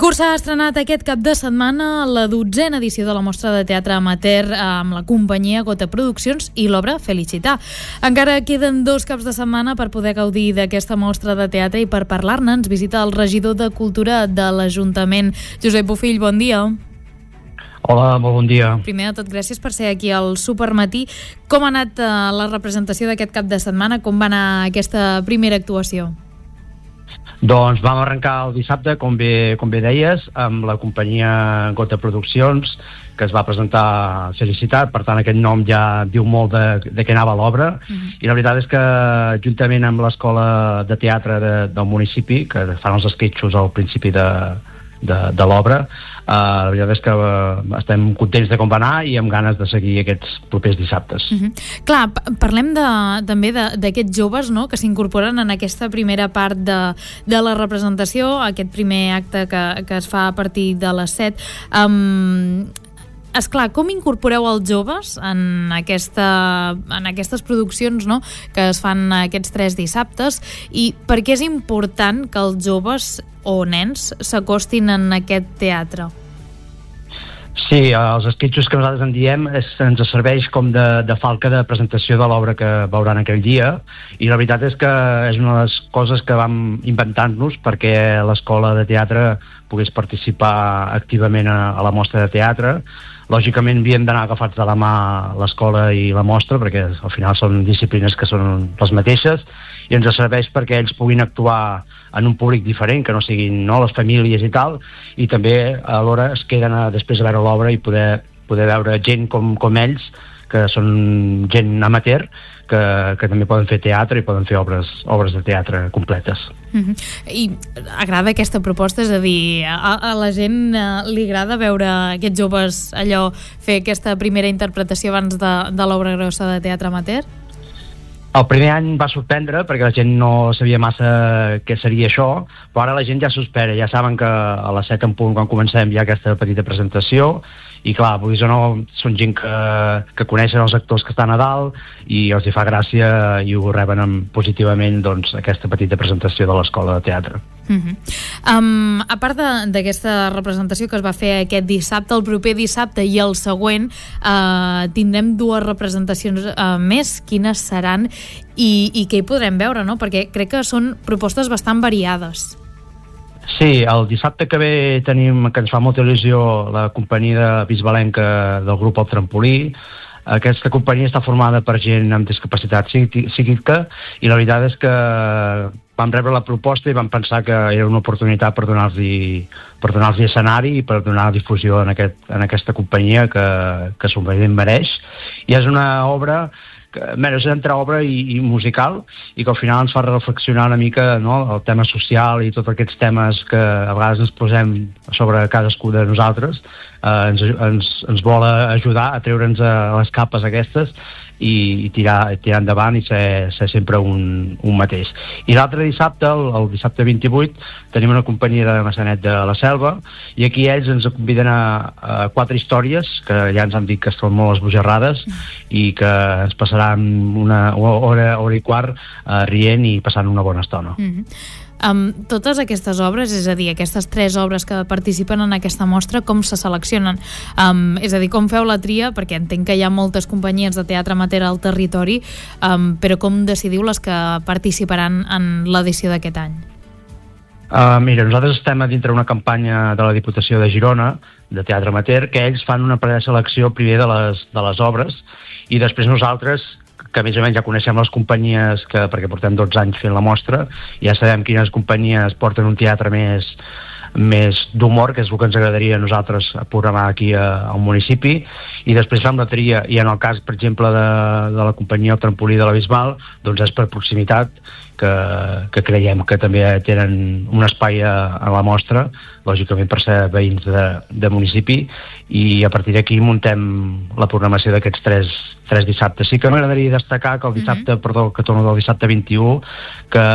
Licur s'ha estrenat aquest cap de setmana la 12a edició de la Mostra de Teatre Amateur amb la companyia Gota Produccions i l'obra Felicitar. Encara queden 2 caps de setmana per poder gaudir d'aquesta mostra de teatre i per parlar-ne ens visita el regidor de Cultura de l'Ajuntament, Josep Bofill. Bon dia. Hola, molt bon dia. Primer de tot, gràcies per ser aquí al Supermatí. Com ha anat la representació d'aquest cap de setmana? Com va anar aquesta primera actuació? Doncs vam arrencar el dissabte, com bé deies, amb la companyia Gota Produccions, que es va presentar Felicitat. Per tant, aquest nom ja diu molt de què anava l'obra. I la veritat és que, juntament amb l'Escola de Teatre del municipi, que fan els esquetxos al principi de l'obra, la veritat és que estem contents de com va anar i amb ganes de seguir aquests propers dissabtes. Clar, parlem també d'aquests joves, no?, que s'incorporen en aquesta primera part de la representació, aquest primer acte que es fa a partir de les 7. Esclar, com incorporeu els joves en aquestes produccions, no?, que es fan aquests 3 dissabtes, i per què és important que els joves o nens s'acostin en aquest teatre? Sí, els esquetxos que nosaltres en diem ens serveix com de falca de presentació de l'obra que veuran aquell dia, i la veritat és que és una de les coses que vam inventar-nos perquè l'escola de teatre pogués participar activament a la mostra de teatre. Lògicament havíem d'anar agafats de la mà l'escola i la mostra, perquè al final són disciplines que són les mateixes, i ens serveix perquè ells puguin actuar en un públic diferent, que no siguin les famílies i tal, i també alhora es queden després a veure l'obra i poder veure gent com ells, que són gent amateur, que també poden fer teatre i poden fer obres de teatre completes. I agrada aquesta proposta? És a dir, a la gent li agrada veure aquests joves fer aquesta primera interpretació abans de l'obra grossa de teatre amateur? El primer any va sorprendre perquè la gent no sabia massa què seria això, però ara la gent ja s'ho espera, ja saben que a les 7 en punt, quan comencem, hi ha aquesta petita presentació, i clar, vulguis o no, són gent que coneixen els actors que estan a dalt i els hi fa gràcia i ho reben positivament, doncs, aquesta petita presentació de l'Escola de Teatre. A part d'aquesta representació que es va fer aquest dissabte, el proper dissabte i el següent tindrem 2 representacions més. Quines seran i què hi podrem veure, no? Perquè crec que són propostes bastant variades. Sí, el dissabte que ve tenim, que ens fa molta il·lusió, la companyia bisbalenca del grup El Trampolí. Aquesta companyia està formada per gent amb discapacitat psíquica i la veritat és que vam rebre la proposta i vam pensar que era una oportunitat per donar-los escenari i per donar difusió en aquesta companyia que s'ho mereix. I és una obra és entre obra i musical, i que al final ens fa reflexionar una mica, no?, el tema social i tots aquests temes que a vegades ens posem sobre cadascú de nosaltres. Ens vol ajudar a treure'ns les capes aquestes i tirar endavant i ser sempre un mateix. I l'altre dissabte, el dissabte 28, tenim una companyia de Massanet de la Selva, i aquí ells ens conviden a 4 històries que ja ens han dit que estan molt esbojarrades i que ens passaran una hora i quart rient i passant una bona estona. Totes aquestes obres, és a dir, aquestes 3 obres que participen en aquesta mostra, com se seleccionen? És a dir, com feu la tria? Perquè entenc que hi ha moltes companyies de teatre amateur al territori, però com decidiu les que participaran en l'edició d'aquest any? Mira, nosaltres estem a dintre una campanya de la Diputació de Girona, de teatre amateur, que ells fan una preselecció primer de les obres, i després nosaltres, que més o menys ja coneixem les companyies, perquè portem 12 anys fent la mostra, ja sabem quines companyies porten un teatre més d'humor, que és el que ens agradaria a nosaltres programar aquí al municipi, i després fem la tria, i en el cas, per exemple, de la companyia El Trampolí de la Bisbal, doncs és per proximitat, que creiem que també tenen un espai a la mostra, lògicament per ser veïns de municipi, i a partir d'aquí muntem la programació d'aquests 3 dissabtes. Sí que m'agradaria destacar que el dissabte, que torno del dissabte 21, que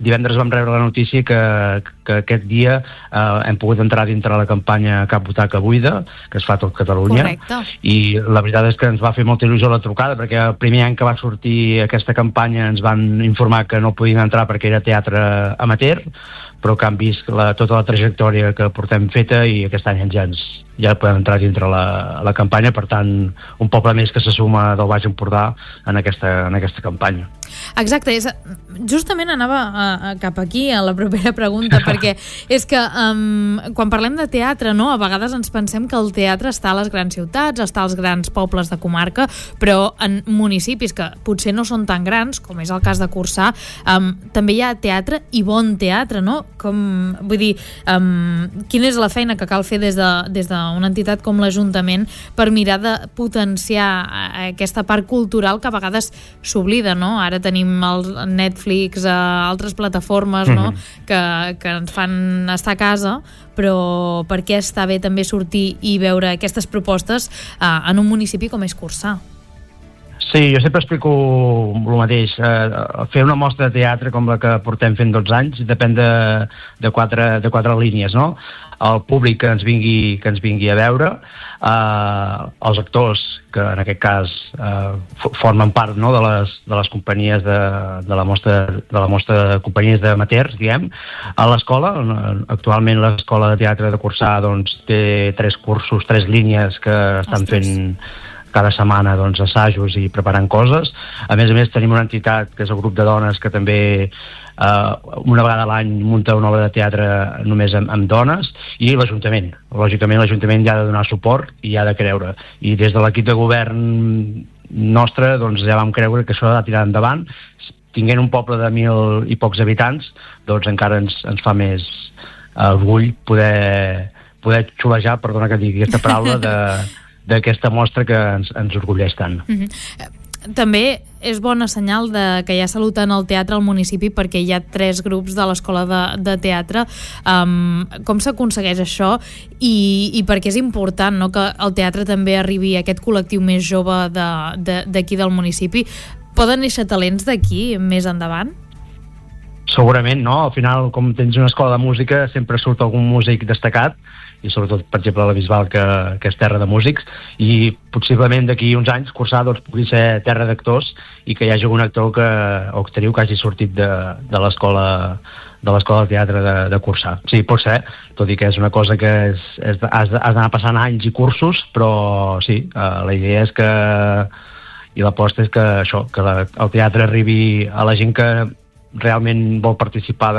divendres vam rebre la notícia que que aquest dia hem pogut entrar dintre la campanya Cap Butaca Buida, que es fa a tot Catalunya. Correcte. I la veritat és que ens va fer molta il·lusió la trucada, perquè el primer any que va sortir aquesta campanya ens van informar que no podien entrar perquè era teatre amateur, però que han vist tota la trajectòria que portem feta i aquest any ja podem entrar dintre la campanya. Per tant, un poble més que se suma del Baix Empordà en aquesta campanya. Exacte, justament anava cap aquí a la propera pregunta, perquè és que quan parlem de teatre, no, a vegades ens pensem que el teatre està a les grans ciutats, està als grans pobles de comarca, però en municipis que potser no són tan grans, com és el cas de Corçà, també hi ha teatre i bon teatre, no? Vull dir, quina és la feina que cal fer des d'una entitat com l'Ajuntament per mirar de potenciar aquesta part cultural que a vegades s'oblida, no? Ara tenim el Netflix, altres plataformes, no? que ens fan estar a casa, però per què està bé també sortir i veure aquestes propostes en un municipi com és Corçà? Sí, jo sempre explico el mateix. Fer una mostra de teatre com la que portem fent 12 anys depèn de quatre línies, no? El públic que ens vingui a veure, els actors, que en aquest cas formen part, no, de les companyies de la mostra de companyies d'amateurs, diguem. A l'escola, actualment l'escola de teatre de Corçà doncs, té 3 cursos, 3 línies que estan fent cada setmana assajos i preparant coses. A més tenim una entitat que és el grup de dones que també una vegada a l'any munta una obra de teatre només amb dones, i l'Ajuntament. Lògicament l'Ajuntament ja ha de donar suport i ha de creure. I des de l'equip de govern nostre ja vam creure que això ha de tirar endavant. Tinguent un poble de 1.000 i pocs habitants, doncs encara ens fa més orgull poder xulejar, perdona que digui aquesta paraula, d'aquesta mostra que ens orgulleix tant. També és bona senyal que hi ha salut en el teatre al municipi, perquè hi ha 3 grups de l'escola de teatre. Com s'aconsegueix això i per què és important, no, que el teatre també arribi a aquest col·lectiu més jove d'aquí del municipi? Poden néixer talents d'aquí més endavant? Segurament, no? Al final, com tens una escola de música, sempre surt algun músic destacat, i sobretot, per exemple, la Bisbal, que és terra de músics, i possiblement d'aquí uns anys Corçà pugui ser terra d'actors i que hi hagi un actor o actriu que hagi sortit de l'escola de teatre de Corçà. Sí, pot ser, tot i que és una cosa que has d'anar passant anys i cursos, però sí, la idea és que, i l'aposta és que això, que el teatre arribi a la gent que realment vol participar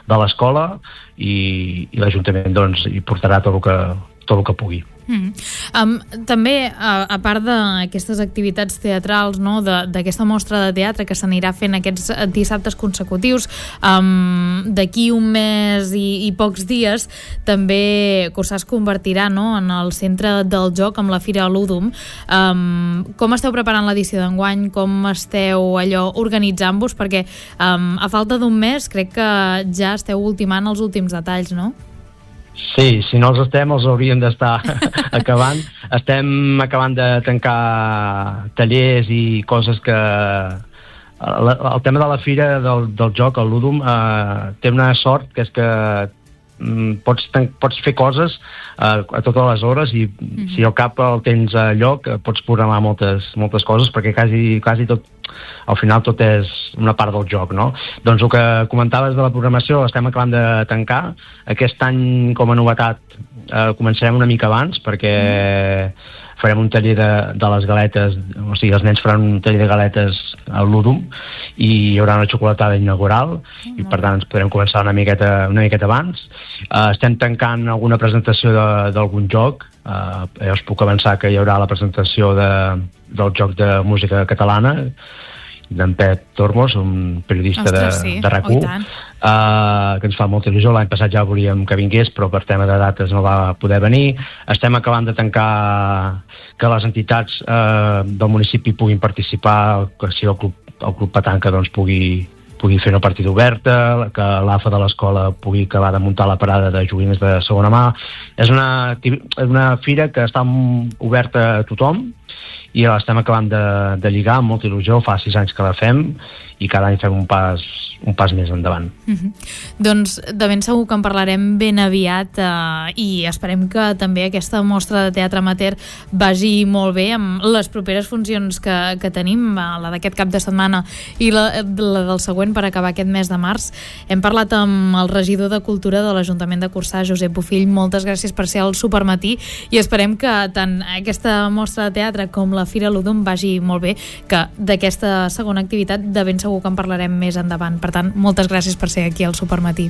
de l'escola, i l'Ajuntament hi portarà tot el que pugui. També, a part d'aquestes activitats teatrals, no, d'aquesta mostra de teatre que s'anirà fent aquests dissabtes consecutius, d'aquí un mes i pocs dies també Corçà es convertirà, no, en el centre del joc amb la Fira Ludum. Com esteu preparant l'edició d'enguany? Com esteu organitzant-vos? Perquè a falta d'un mes crec que ja esteu ultimant els últims detalls, no? Sí, si no els hauríem d'estar acabant. Estem acabant de tancar tallers i coses que... El tema de la fira del joc, el Ludum, té una sort, que és que pots fer coses a totes les hores, i si al cap el tens a lloc pots programar moltes coses, perquè quasi tot, al final tot és una part del joc, no? Doncs el que comentaves de la programació l'estem acabant de tancar. Aquest any, com a novetat, començarem una mica abans, perquè farem un taller de les galetes, o sigui, els nens faran un taller de galetes al Ludum i hi haurà una xocolatada inaugural, i per tant ens podrem començar una miqueta abans. Estem tancant alguna presentació d'algun joc. Ja us puc avançar que hi haurà la presentació del joc de música catalana d'en Pep Tormos, un periodista de RAC1, que ens fa molta il·lusió. L'any passat ja volíem que vingués, però per tema de dates no va poder venir. Estem acabant de tancar que les entitats del municipi puguin participar, que si el Club Petanca pugui fer una partida oberta, que l'AFA de l'escola pugui acabar de muntar la parada de joguines de segona mà. És una fira que està oberta a tothom, i l'estem acabant de lligar amb molta il·lusió. Fa 6 anys que la fem i cada any fem un pas més endavant. Doncs de ben segur que en parlarem ben aviat i esperem que també aquesta mostra de teatre amateur vagi molt bé amb les properes funcions que tenim, la d'aquest cap de setmana i la del següent per acabar aquest mes de març. Hem parlat amb el regidor de Cultura de l'Ajuntament de Corçà, Josep Bofill. Moltes gràcies per ser al Supermatí i esperem que tant aquesta mostra de teatre com la Fira Ludum vagi molt bé, que d'aquesta segona activitat de ben segur que en parlarem més endavant. Per tant, moltes gràcies per ser aquí al Supermatí.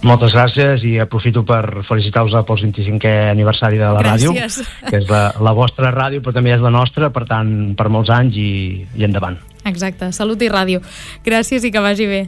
Moltes gràcies i aprofito per felicitar-vos pel 25è aniversari de la ràdio, que és la vostra ràdio, però també és la nostra, per tant, per molts anys i endavant. Exacte, salut i ràdio. Gràcies i que vagi bé.